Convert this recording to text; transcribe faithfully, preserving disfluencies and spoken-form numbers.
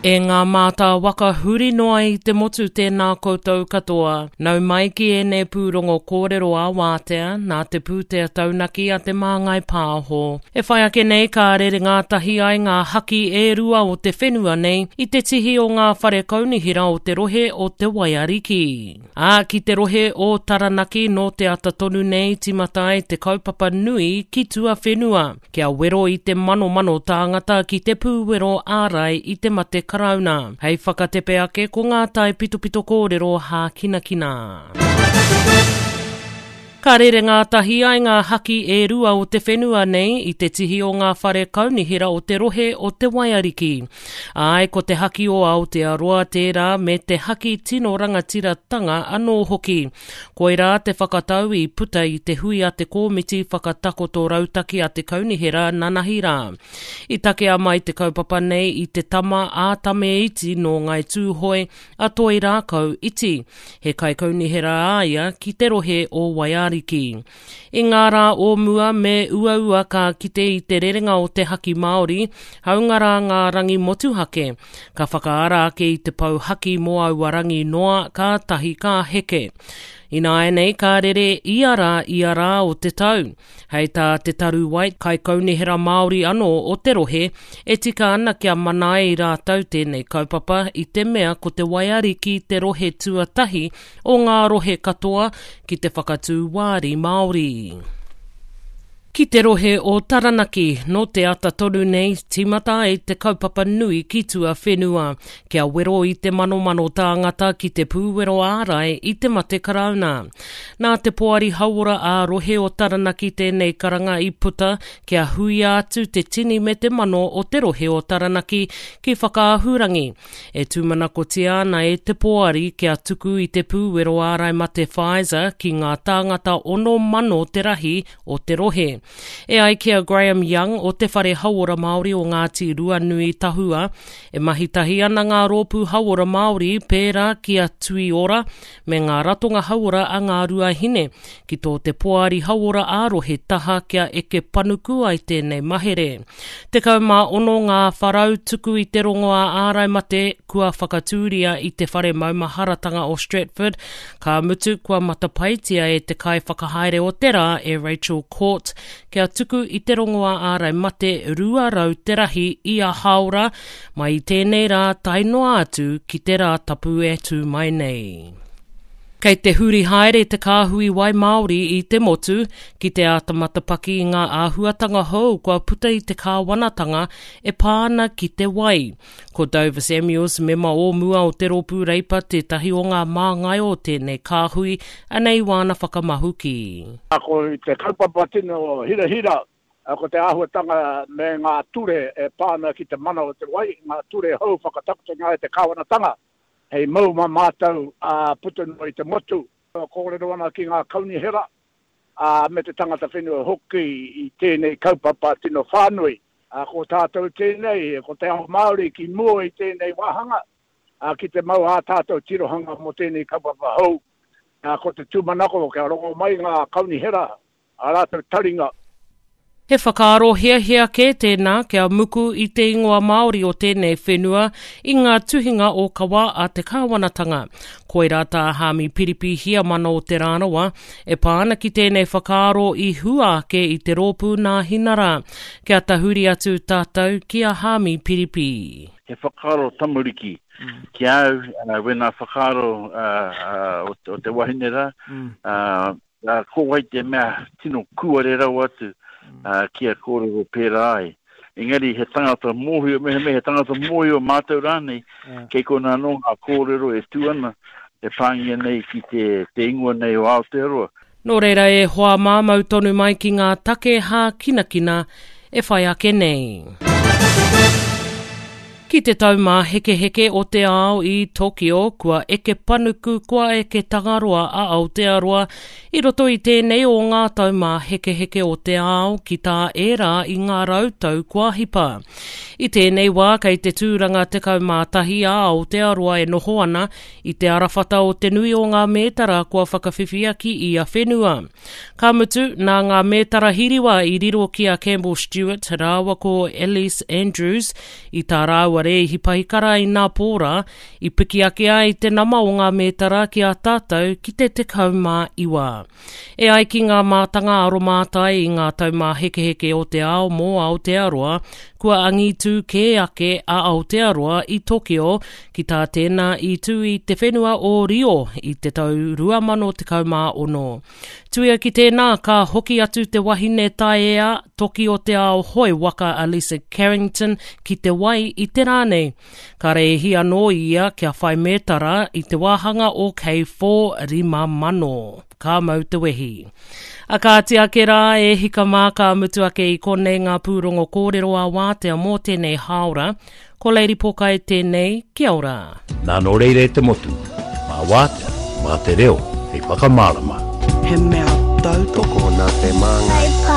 E ngā mātā waka huri noa i te motu tēnā koutou katoa. Nau mai ki ēnei pūrongo kōrero a wātea nā te pūtea taunaki a te Māngai Pāho. E whai ake nei ka rere ngātahi ai ngā haki e rua o te whenua nei i te tihi o ngā whare kaunihera o te rohe o Te Waiariki. Ā, ki te rohe o Taranaki nō te ata tonu nei tīmata ai te kaupapa nui ki tuawhenua, kia wero i te manomano tāngata ki te pūwero ārai i te mate karauna. Hei whakatepe ake ko ngā taipitopito kōrero hākinakina. Ka rere ngātahi ai ngā haki e rua o te whenua nei i te tihi o ngā whare kaunihera o te rohe o Te Waiariki. Āe, ko te haki o Aotearoa tērā me te haki tino rangatiratanga anō hoki. Koirā te whakatau i puta i te hui a te Kōmiti Whakatakoto Rautaki a te Kaunihera nanahi rā. I takea mai te kaupapa nei i te tama a Tame Iti nō Ngāi Tūhoe, a Toi Rākau Iti. He kaikaunihera a ia ki te rohe o Waiariki. I ngā rā o mua me uaua ka kite i te rerenga o te haki Māori, hāunga rā ngā rangi motuhake, ka whakaara ake i te pou haki mō aua rangi noa kātahi ka heke. Ināianei ka rere ia rā ia rā o te tau. Hei tā Te Taru White, kaikaunihera Māori anō o te rohe, e tika ana kia mana ai rātou tēnei kaupapa i te mea ko Te Waiariki te rohe tuatahi o ngā rohe katoa ki te whakatū wāri Māori. Ki te rohe o Taranaki, nō te ata tonu nei, tīmata ai te kaupapa nui ki tuawhenua, kia wero i te manomano tāngata ki te pūwero ārai i te mate karauna. Nā te Poari Hauora ā-Rohe o Taranaki tēnei karanga i puta kia huia atu te tini me te mano o te rohe o Taranaki ki Whakaahurangi. E tūmanakotia ana e te Poari kia tuku i te pūwero ārai mate Pfizer ki ngā tāngata ono mano te rahi o te rohe. E ai ki a Graham Young o Te Whare Hauora Māori o Ngāti Ruanui Tahua, e mahi tahi ana ngā rōpū hauora Māori pērā ki a Tui Ora me ngā ratonga hauora a Ngā Ruahine ki tō te Poari Hauora ā-Rohe taha kia eke panuku ai tēnei mahere. Tekau mā ono ngā wharau tuku i te rongoā ārai mate kua whakatūria i te Whare Maumaharatanga o Stratford, ka mutu kua matapaetia e te kaiwhakahaere o te rā e Rachel Court kia tuku i te rongoā ārai mate rua rau te rahi ia hāora mai i tēnei rā tae noa atu ki te rā tapu e tū mai nei. Kei te huri haere te kāhui wai Māori i te motu ki te āta matapaki i ngā āhuatanga hou kua puta i te kāwanatanga e pā ana ki te wai. Ko Dover Samuels, mema o mua o te Rōpū Reipa tētahi o ngā māngai o tēnei kāhui, anei wāna whakamahuki. Ko te kaupapa tino hirahira, ko te āhuatanga me ngā ture e pā ana ki te mana o te wai, ngā ture hou whakatakotonga e te kāwanatanga hei mau mā mātou ā puta noa i te motu. Kōrero ana ki ngā kaunihera, ā, me te tangata whenua hoki i tēnei kaupapa tino whānui. Ā, ko tātou tēnei, ko te ao Māori ki mua i tēnei wāhanga, ā, ki te mau ā tātou tirohanga mō tēnei kaupapa hou. Ā, ko te tūmanako kia rongo mai ngā kaunihera, ā rātou taringa. He whakaaro hiahia kē tēnā kia muku i te ingoa Māori o tēnei whenua i ngā tuhinga ōkawa a te kāwanatanga. Koirā tā Hāmi Piripi Hiamana o Te Rānawa e pā ana ki tēnei whakaaro i hua ake i te rōpū Nāhinara. Kia tahuri atu tātou ki a Hāmi Piripi. He whakaaro tamariki ki a au, wēnā whakaaro o te wahine rā, ko wai te mea tino kūare rawa atu kia kōrero pērā ai. Engari he tangata mōhio, mehemea he tangata mōhio mātau rānei, kei konā anō ngā kōrero e tū ana, e pāngia nei ki te, te ingoa nei o Aotearoa. Nō reira e hoa mā mau tonu mai ki ngā take hākinakina e whai ake nei. Ki te Taumāhekeheke o te Ao i Tokyo, kua eke panuku, kua eke Tangaroa a Aotearoa i roto i tēnei o ngā Taumāhekeheke o te Ao ki tā ērā i ngā rau tau kua hipa. I tēnei wā kei te tūranga tekau mā tahi a Aotearoa e noho ana i te arawhata o te nui o ngā mētara kua whakawhiwhia ki ia whenua. Ka mutu, nā ngā mētara hiriwa i riro ki a Campbell Stewart rāua ko Ellesse Andrews i tā rāua taua rēhi pahikara i nā pōra, i piki ake ai te nama o ngā mētara ki a tātou ki te tekau mā iwa. E ai ki ngā mātanga aromātai i ngā taumāhekeheke o te ao mō Aotearoa, kua angitū kē ake a Aotearoa i Tokyo ki tā tēnā i tū i te whenua o Rio i te tau rua mano tekau mā ono. Tuia ki tēnā, ka hoki atu te wahine taea toki o te ao hoe waka a Lisa Carrington ki te wai i te rā nei. Ka rēhi anō ia kia whai mētara i te wāhanga o K four rima mano. Ka mau te wehi. A kāti ake rā e hika mā ka mutu ake i konei ngā pūrongo kōrero a wātea mō tēnei hāora. Ko Lady Pokai tēnei, kia ora. Nā nō reira e te motu, mā wātea, mā te reo, hei whakamārama. He mea tautoko nā te māngai.